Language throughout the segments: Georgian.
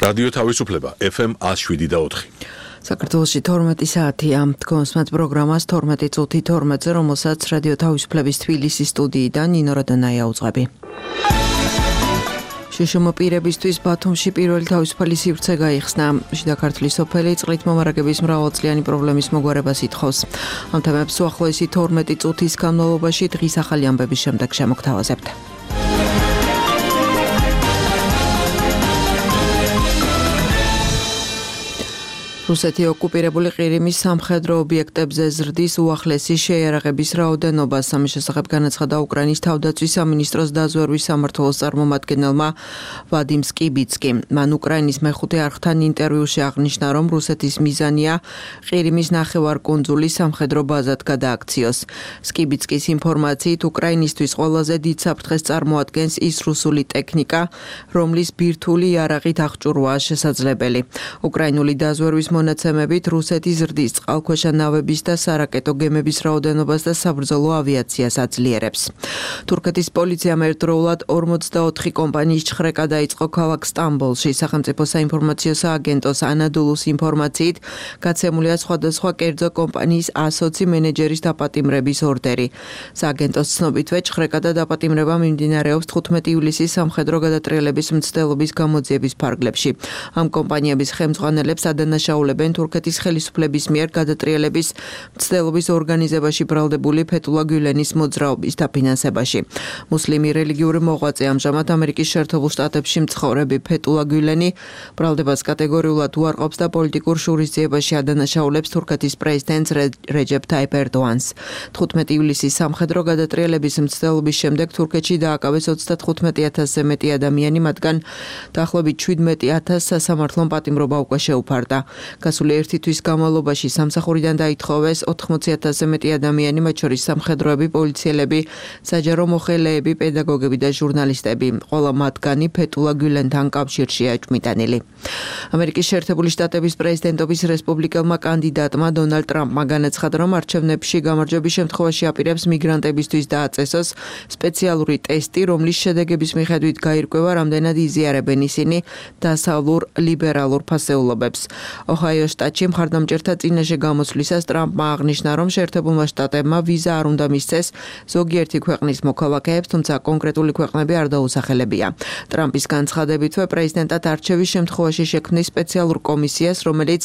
რადიო თავისუფლება FM 107.4. საქართველოში 12 საათია. თქვენს მათ პროგრამას 12 წუთი 12-ზე, რომელსაც რადიო თავისუფლების თბილისის სტუდიიდან ნინო რადონაია უძღვები. შუშუმა პირებისთვის ბათუმში პირველი თავისუფალი სივრცე გაიხსნა. შიდა ქართლის სოფელი წყლით მომარაგების მრავალწლიანი პრობლემის მოგვარებას ითხოვს. ამ თემებს უახლოესი 12 წუთის განმავლობაში დღის ახალი ამბების შემდეგ შემოგთავაზებთ. რუსეთი ოკუპირებული ყირიმის სამხედრო ობიექტებზე ზრდის უახლესი შეიარაღების რაოდენობას. ამის შესახებ განაცხადა უკრაინის თავდაცვის სამინისტროს დაზვერვის სამმართველოს წარმომადგენელმა ვადიმ სკიბიცკი. მან უკრაინის მეხუთე არხთან ინტერვიუში აღნიშნა, რომ რუსეთის მიზანია ყირიმის ნახევარკუნძულის სამხედრო ბაზად გადააქციოს. სკიბიცკის ინფორმაციით, უკრაინისთვის ყველაზე დიდ საფრთხეს წარმოადგენს ის რუსული ტექნიკა, რომლის ბირთვული იარაღით აღჭურვაა შესაძლებელი. უკრაინული დაზვერვის მონაცემებით რუსეთი ზრდის წყალქვეშა ნავების და სარაკეტო გემების რაოდენობას და საბრძოლო ავიაციას აძლიერებს. თურქეთის პოლიციამ ერთდროულად 44 კომპანიის ჩხრეკა დაიწყო ქალაქ სტამბოლში. სახელმწიფო საინფორმაციო სააგენტოს ანადოლუს ინფორმაციით გაცემულია სხვადასხვა კერძო კომპანიის 120 მენეჯერის დაპატიმრების ორდერი. სააგენტოს ცნობითვე ჩხრეკა და დაპატიმრება მიმდინარეობს 15 ივლისის სამხედრო გადატრიალების მცდელობის გამოძიების ფარგლებში. ამ კომპანიების ხელმძღვანელებს ადანაშაულებენ თურქეთის ხელისუფლების მიერ გადატრიალების მცდელობის ორგანიზებაში ბრალდებული ფეთულა გულენის მოძრაობის დაფინანსებაში. მუსლიმი რელიგიური მოღვაწე ამჟამად ამერიკის შეერთებულ შტატებში მცხოვრები ფეთულა გულენი ბრალდებას კატეგორიულად უარყოფს და პოლიტიკურ შურისძიებაში ადანაშაულებს თურქეთის პრეზიდენტს რეჯეფ ტაიპ ერდოანს. 15 ივლისის სამხედრო გადატრიალების მცდელობის შემდეგ თურქეთში დააკავეს 35,000-ზე მეტი ადამიანი, მათგან დაახლოებით 17,000 სასამართლომ პატიმრობა უკვე შეუფარდა. გასული ერთი თვის განმავლობაში სამსახურიდან დაითხოვეს 80,000-ზე მეტი ადამიანი, მათ შორის სამხედროები, პოლიციელები, საჯარო მოხელეები, პედაგოგები და ჟურნალისტები. ყველა მათგანი ფეთულა გულენთან კავშირშია ჭმიდანილი. ამერიკის შეერთებული შტატების პრეზიდენტობის რესპუბლიკელმა კანდიდატმა დონალდ ტრამპმა განაცხადა, რომ არჩევნებში გამარჯვების შემთხვევაში აპირებს მიგრანტებისთვის დააწესოს სპეციალური ტესტი, რომლის შედეგების მიხედვით გაირკვევა, რამდენად იზიარებენ ისინი დასავლურ ლიბერალურ ფასეულობებს. ოჰაიოს შტატში მხარდამჭერთა წინაშე გამოსვლისას ტრამპმა აღნიშნა, რომ შეერთებულმა შტატებმა ვიზა არ უნდა მისცეს ზოგიერთი ქვეყნის მოქალაქეებს, თუმცა კონკრეტული ქვეყნები არ დაუსახელებია. ტრამპის განცხადებითვე პრეზიდენტად არჩევის შემთხვევაში შექმნის სპეციალურ კომისიას, რომელიც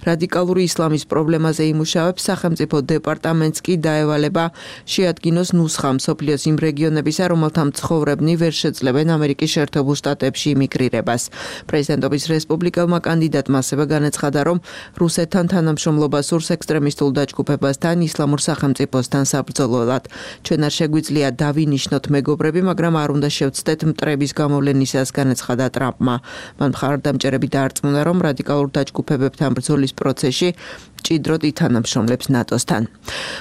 რადიკალური ისლამის პრობლემაზე იმუშავებს. სახელმწიფო დეპარტამენტს კი დაევალება შეადგინოს ნუსხა მსოფლიოს იმ რეგიონებისა, რომელთა მცხოვრებნი ვერ შეძლებენ ამერიკის შეერთებულ შტატებში იმიგრირებას. პრეზიდენტობის რესპუბლიკელმა კანდიდატმა ასევე განაცხადა, რომ რუსეთთან თანამშრომლობა სურს ექსტრემისტულ დაჯგუფებასთან, ისლამურ სახელმწიფოსთან საბრძოლველად. ჩვენ არ შეგვიძლია დავინიშნოთ მეგობრები, მაგრამ არ უნდა შევცდეთ მტრების გამოვლენისას, განაცხადა ტრამპმა. მან მხარდამჭერები დაარწმუნა, რომ რადიკალურ დაჯგუფებებთან ბრძოლის პროცესში ჭიდროდ ითანამშრომლებს ნატოსთან.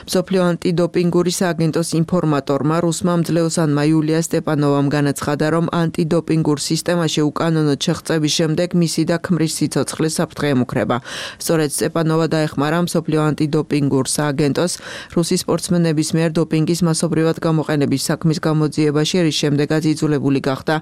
მსოფლიო ანტიდოპინგური სააგენტოს ინფორმატორმა რუსმა მძლეოსანმა იულია სტეპანოვამ განაცხადა, რომ ანტიდოპინგურ სისტემაში უკანონოდ შეღწევის შემდეგ მისი და ქმრის სიცოცხლე საფრთხე ემუქრება. სწორედ სტეპანოვა დაეხმარა მსოფლიო ანტიდოპინგურ სააგენტოს რუსი სპორტსმენების მიერ დოპინგის მასობრივად გამოყენების საქმის გამოძიებაში, რის შემდეგაც იძულებული გახდა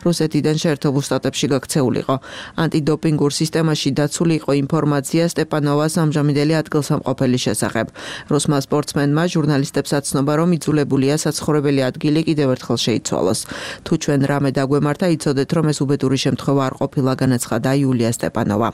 რუსეთიდან შეერთებულ შტატებში გაქცეულიყო. ანტიდოპინგურ სისტემაში დაცული იყო ინფორმაცია სტეპანოვას ამჟამინდელი ადგილსამყოფელის შესახებ. რუსმა სპორტსმენმა ჟურნალისტებს აცნობა, რომ იძულებულია საცხოვრებელი ადგილი კიდევ ერთხელ შეიცვალოს. თუ ჩვენ რამე დაგვემართა, იცოდეთ, რომ ეს უბედური შემთხვევა არ ყოფილა, განაცხადა იულია სტეპანოვა.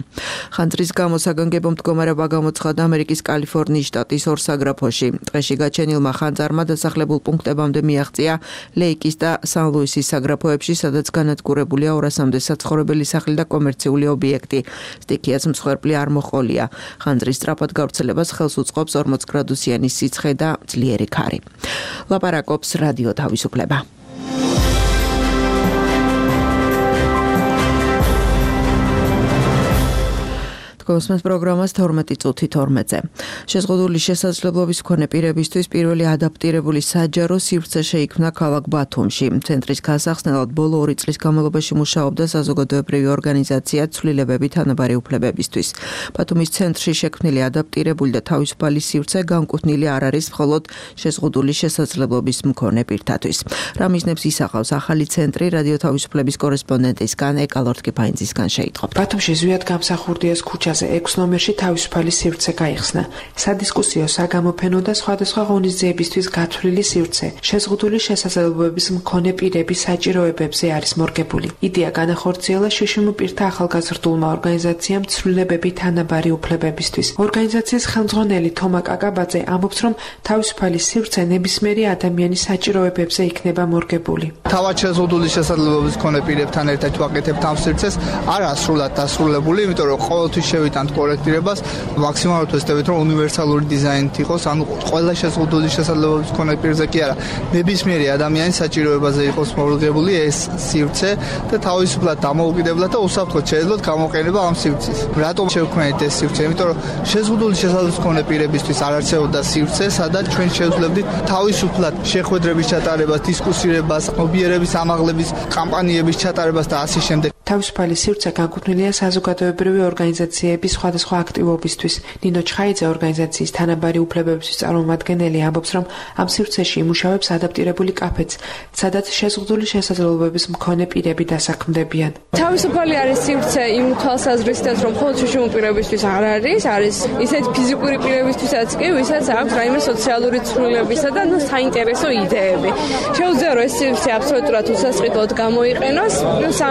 ხანძრის გამო საგანგებო მდგომარეობა გამოცხადა ამერიკის კალიფორნიის შტატის ორ საგრაფოში. ტყეში გაჩენილმა ხანძარმა დასახლებულ პუნქტებამდე მიაღწია ლეიკის და სან-ლუისის საგრაფოებში, სადაც განადგურებულია 200-მდე საცხოვრებელი სახლი და კომერციული ობიექტი. სტიქიაც მსხვერპლი არ მოჰყოლია. ხანძრის სწრაფად გავრცელებას ხელს უწყობს 40 გრადუსიანი სიცხე და ძლიერი ქარი. ლაპარაკობს რადიო თავისუფლება. გოსმენთ პროგრამას 12:12-ზე. შეზღუდული შესაძლებლობის მქონე პირებისთვის პირველი ადაპტირებული საჯარო სივრცე შეიქმნა ქალაქ ბათუმში. ცენტრის გასახსნელად ბოლო 2 წლის განმავლობაში მუშაობდა საზოგადოებრივი ორგანიზაცია ცვლილებები თანაბარი უფლებებისთვის. ბათუმის ცენტრში შექმნილი ადაპტირებული და თავისუფალი სივრცე განკუთვნილი არ არის მხოლოდ შეზღუდული შესაძლებლობის მქონე პირთათვის. რა მიზნებს ისახავს ახალი ცენტრი რადიო თავისუფლების კორესპონდენტისგან ეკალორთკიფაინძისგან შეიტყობთ. ბათუმში ზვიად გამსახურდიას ქუჩაზე 6 ნომერში თავისუფალი სივრცე გაიხსნა. სადისკუსიო, საგამოფენო და სხვადასხვა ღონისძიებისთვის გათვლილი სივრცე შეზღუდული შესაძლებლობების მქონე პირების საჭიროებებზე არის მორგებული. იდეა განახორციელა შშმ პირთა ახალგაზრდულმა ორგანიზაციამ ცვლილებები თანაბარი უფლებებისთვის. ორგანიზაციის ხელმძღვანელი თომა კაკაბაძე ამბობს, რომ თავისუფალი სივრცე ნებისმიერი ადამიანის საჭიროებებზე იქნება მორგებული. თავად შეზღუდული შესაძლებლობის მქონე პირებთან ერთად ვაკეთებთ ამ სივრცეს, არა სრულად დასრულებული, იმიტომ რომ ყოველთვის შევიტანთ კორექტირებას, მაქსიმალურად ვეცდებით, რომ უნივერსალური დიზაინით იყოს, ანუ ყველა შეზღუდული შესაძლებლობის მქონე პირზე კი არა, ნებისმიერი ადამიანის საჭიროებაზე იყოს მორგებული ეს სივრცე და თავისუფლად დამოუკიდებლად და უსაფრთხოდ შეიძლება გამოყენება ამ სივრცის. რატომ შევქმნით ეს სივრცე? იმიტომ რომ შეზღუდული შესაძლებლობის მქონე პირებისთვის არ არსებობდა სივრცე, სადაც ჩვენ შევძლებდით თავისუფლად შეხვედრების ჩატარებას, დისკუსირებას, ობიერების ამაღლების კამპანიების ჩატარებას და ასე შემდეგ. თავისუფალი სივრცე განკუთვნილია საზოგადოებრივი ორგანიზაციების სხვადასხვა აქტივობისთვის. ნინო ჩხაიძე ორგანიზაციის თანაბარი უფლებებისთვის წარმომადგენელი ამბობს, რომ ამ სივრცეში იმუშავებს ადაპტირებული კაფეც, სადაც შეზღუდული შესაძლებლობების მქონე პირები დასაქმდებიან. თავისუფალი არის სივრცე იმ თვალსაზრისით, რომ მხოლოდ შშმ პირებისთვის არ არის ისეთ ფიზიკური პირებისთვისაც კი, ვისაც აქვს რაიმე სოციალური ცვლილებისა და საინტერესო იდეები. შეუძლია რომ ეს სივრცე აბსოლუტურად უსასყიდლოდ გამოიყენოს,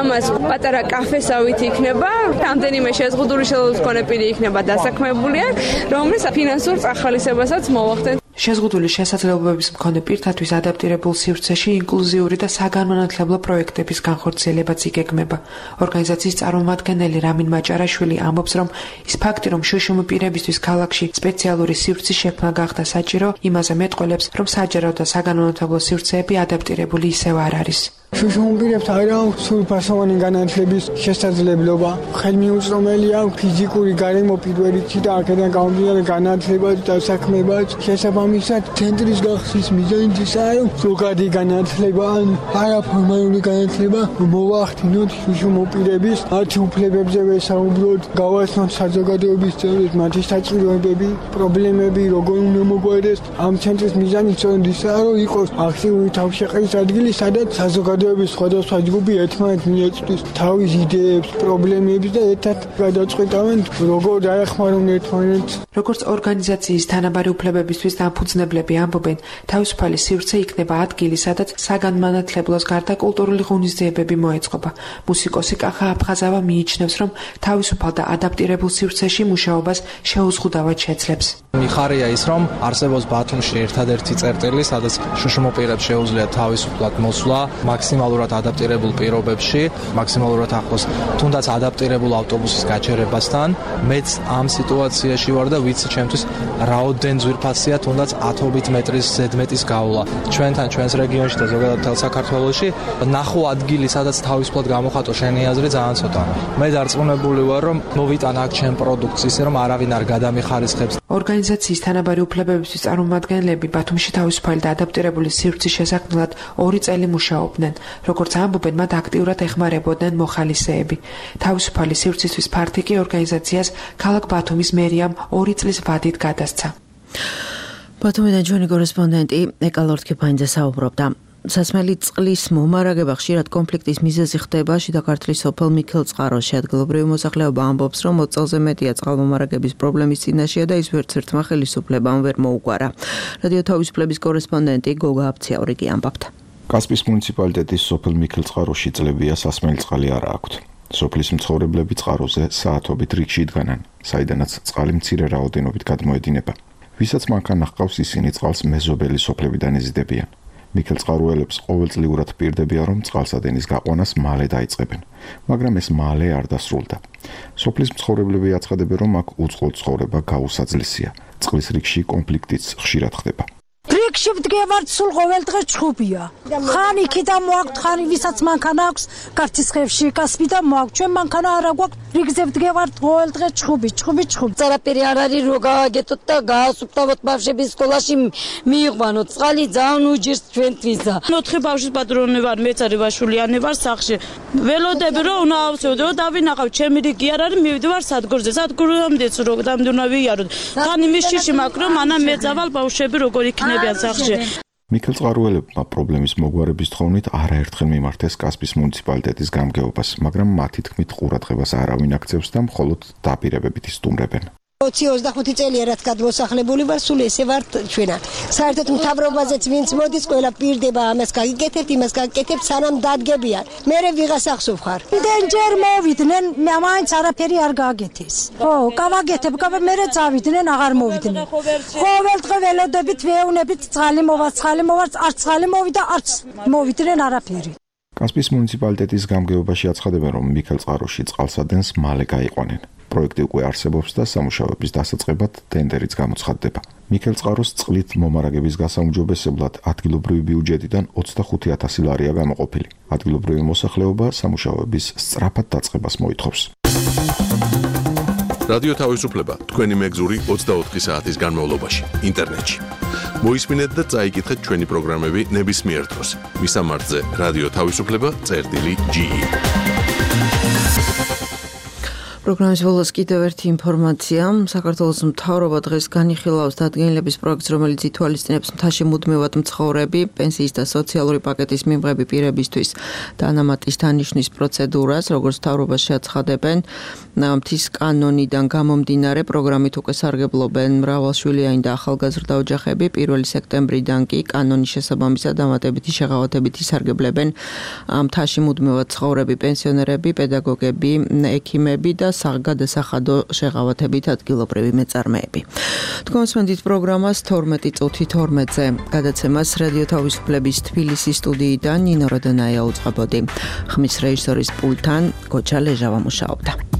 ამას პატარა კაფესავით იქნება, რამდენიმე შეზღუდული შესაძლებლობის მქონე პირი იქნება დასაქმებულიან, რომლის ფინანსურ წახალისებასაც მოვახდენ. შეზღუდული შესაძლებლობების მქონე პირთათვის ადაპტირებულ სივრცეში ინკლუზიური და საგანმანათლებლო პროექტების განხორციელებაც იგეგმება. ორგანიზაციის წარმომადგენელი რამინ მაჭარაშვილი ამბობს, რომ ის ფაქტი, რომ შშმ პირებისთვის ქალაქში სპეციალური სივრცის შექმნა გახდა საჭირო, იმაზე მეტყველებს, რომ საჯარო და საგანმანათლებლო სივრცეები ადაპტირებული ისევ არ არის. შშმ პირებს არ აქვს სრულფასოვანი განათლების შესაძლებლობა. ხელმიუწვდომელი აქვს ფიზიკური გარემო პირველიცი და აქედან გამომდინარე განათლება და საქმეება. შესაბამისად, ცენტრის გახსნის მიზანიც ისაა, რომ ზოგადი განათლება ან არაფორმალური განათლება მოვახდინოთ შშმ პირების მათი უფლებებზე ვესაუბროთ, გავაცნოთ საზოგადოების წევრებს მათი საჭიროებები, პრობლემები, როგორ უნდა მოგვარდეს. ამ ცენტრის მიზანი სწორედ ისაა, რომ იყოს აქტიური თავშეყრის ადგილი, სადაც საზოგადოების სხვადასხვა ჯგუფი ერთმანეთს მიეწვდის თავის იდეებს, პრობლემებს და ერთად გადაწყვეტავენ, როგორ დაეხმარონ ერთმანეთს. როგორც ორგანიზაციის თანაბარი უფლებებისთვის დამფუძნებლები ამბობენ, თავისუფალი სივრცე იქნება ადგილი, სადაც საგანმანათლებლოს გარდა კულტურული ღონისძიებები მოეწყობა. მუსიკოსი კახა აფხაზავა მიიჩნევს, რომ თავისუფალ და ადაპტირებულ სივრცეში მუშაობას შეუზღუდავად შეძლებს. მიხარია ის, რომ არსებობს ბათუმში ერთადერთი წერტილი, სადაც შშმ პირებს შეუძლიათ თავისუფლად მოსვლა, მაქსიმალურად ადაპტირებულ პირობებში, მაქსიმალურად ახლოს, თუნდაც ადაპტირებულ ავტობუსის გაჩერებასთან. მეც ამ სიტუაციაში ვარ და ვიცი ჩემთვის რაოდენ ძვირფასია თუნდაც 10 მეტრის ზედმეტის გავლა. ჩვენთან, ჩვენს რეგიონში და ზოგადად მთელ საქართველოში ნახო ადგილი, სადაც თავისუფლად გამოხატო შენი აზრი ძალიან ცოტა. მე დარწმუნებული ვარ, რომ მოვიტან აქ ჩემ პროდუქტს ისე, რომ არავინ არ გადამიხარისხებს. ორგანიზაციის თანაბარი უფლებებისთვის წარმომადგენლები ბათუმში თავისუფალი და ადაპტირებული სივრცის შესაქმნელად 2 წელი მუშაობდნენ. როგორც ამბობენ, მათ აქტიურად ეხმარებოდნენ მოხალისეები. თავისუფალი სივრცისთვის ფართი კი ორგანიზაციას ქალაქ ბათუმის მერიამ 2 წლის ვადით გადასცა. ბათუმიდან ჩვენი კორესპონდენტი ეკალორთკიფაინძე საუბრობდა. სასმელი წყლის მომარაგება ხშირად კონფლიქტის მიზეზი ხდება შიდა ქართლის სოფელ მიქელწყაროში. ადგილობრივი მოსახლეობა ამბობს, რომ 20 წელზე მეტია წყალმომარაგების პრობლემის წინაშეა და ის ვერცერთმა ხელისუფლებამ ვერ მოუგვარა. რადიო თავისუფლების კორესპონდენტი გოგა აფციაური კი ამბობდა. კასპიის მუნიციპალიტეტის სოფელ მიქელწყაროში წლებია სასმელი წყალი არ აქვთ. სოფლის მცხოვრებლები წყაროზე საათობით რიგში იდგანან, საიდანაც წყალი მცირე რაოდენობით გადმოედინება. ვისაც მანქანა ჰყავს, ისინი წყალს მეზობელი სოფლებიდან ეზიდებიან. მიქელწყაროელებს ყოველწლიურად პირდებიან, რომ წყალსადენის გაყვანას მალე დაიწყებენ, მაგრამ ეს მალე არ დასრულდა. სოფლის მცხოვრებლები აცხადებენ, რომ აქ უწყლოდ ცხოვრება გაუსაძლისია. წყლის რიგში კონფლიქტიც ხშირად ხდება. რიგ რიგში ვდგევართ სულ ყოველდღე ჩხუბია. ხან იქიდან მოაქვთ, ხან ვისაც მანქანა აქვს, კარტისხევში კასპიდან მოაქვთ. ჩვენ მანქანა არ აგვაქვთ, რიგზე ვდგევართ ყოველდღე ჩხუბი. წარაპირი არ არის რო გააგეთოთ და გაასუფთავოთ ბავშვების სკოლაში მიიყვანოთ. წყალი ძალიან უჯერს ჩვენთვისა. 4 ბავშვის პატრონი ვარ, მეც არის ვაშულიანი ვარ სახში. ველოდები რომ უნდა ავსებდო, რომ დავინახავ, ჩემი რიგი არ არის, მივიდივარ სადგურზე. სადგურამდეც რო დამდუნა ვიაროთ. თან იმის შიში მაქვს, რომ მანამ მეძავალ ბავშვები როგორ იქნებიან სახში. მიქელ წყარუელებმა პრობლემის მოგვარების თხოვნით არაერთხელ მიმართეს კასპის მუნიციპალიტეტის გამგეობას, მაგრამ მათი თქმით ყურადღებას არავინ აქცევს და მხოლოდ დაპირებებით ისტუმრებენ. 20-25 წელია რაც გადმოსახლებული ვარ, სულ ესე ვარ ჩვენა. საერთოდ მთავრობაზეც ვინც მოდის, ყველა პირდება ამას გაგიკეთებთ, იმას გაგიკეთებთ, სანამ დადგებიან. მერე ვიღას ახსოვ ხარ. დენჯერ მოვიდნენ, მაინც არაფერი არ გააკეთეს. ხო, გავაკეთებ, მერე წავიდნენ, აღარ მოვიდნენ. ყოველდღე ველოდებით, ვეუნებით, წყალი მოვა, არც წყალი მოვიდა, არც მოვიდნენ არაფერი. კასპის მუნიციპალიტეტის გამგეობაში აცხადებენ, რომ მიქელ წყაროში წყალსადენს მალე გაიყვანენ. პროექტი უკვე არსებობს და სამუშაოების დასაწყებად ტენდერიც გამოცხადდება. მიქელ წყაროს წყლით მომარაგების გასაუმჯობესებლად ადგილობრივი ბიუჯეტიდან 25,000 ლარია გამოყოფილი. ადგილობრივი მოსახლეობა სამუშაოების სწრაფად დაწყებას მოითხოვს. რადიო თავისუფლება თქვენი მეგზური 24 საათის განმავლობაში ინტერნეტში. მოისმინეთ და წაიკითხეთ ჩვენი პროგრამები ნებისმიერ დროს. მისამართზე რადიო თავისუფლება.ge. პროგრამის ბოლოს კიდევ ერთი ინფორმაცია. საქართველოს მთავრობა დღეს განიხილავს დადგენილების პროექტს, რომელიც ითვალისწინებს მთაში მუდმივად მცხოვრები, პენსიის და სოციალური პაკეტის მიმღები პირებისთვის დანამატის დანიშვნის პროცედურას, როგორც მთავრობა შეაცხადებენ, მთის კანონიდან გამომდინარე პროგრამით უკვე სარგებლობენ მრავალშვილიანი და ახალგაზრდა ოჯახები. 1 სექტემბრიდან კი კანონის შესაბამისად დამატებითი შეღავათებით ისარგებლებენ მთაში მუდმივად მცხოვრები პენსიონერები, პედაგოგები, ექიმები და გადასახადო შეღავათებით ადგილობრივი მეწარმეები. თქვენსმენდით პროგრამას 12 წუთი 12-ზე გადაცემას რადიო თავისუფლების თბილისის სტუდიიდან ნინო როდონაია უწყებოდი. ხმის რეჟისორის პულტთან გოჩა ლეჟავა მუშაობდა.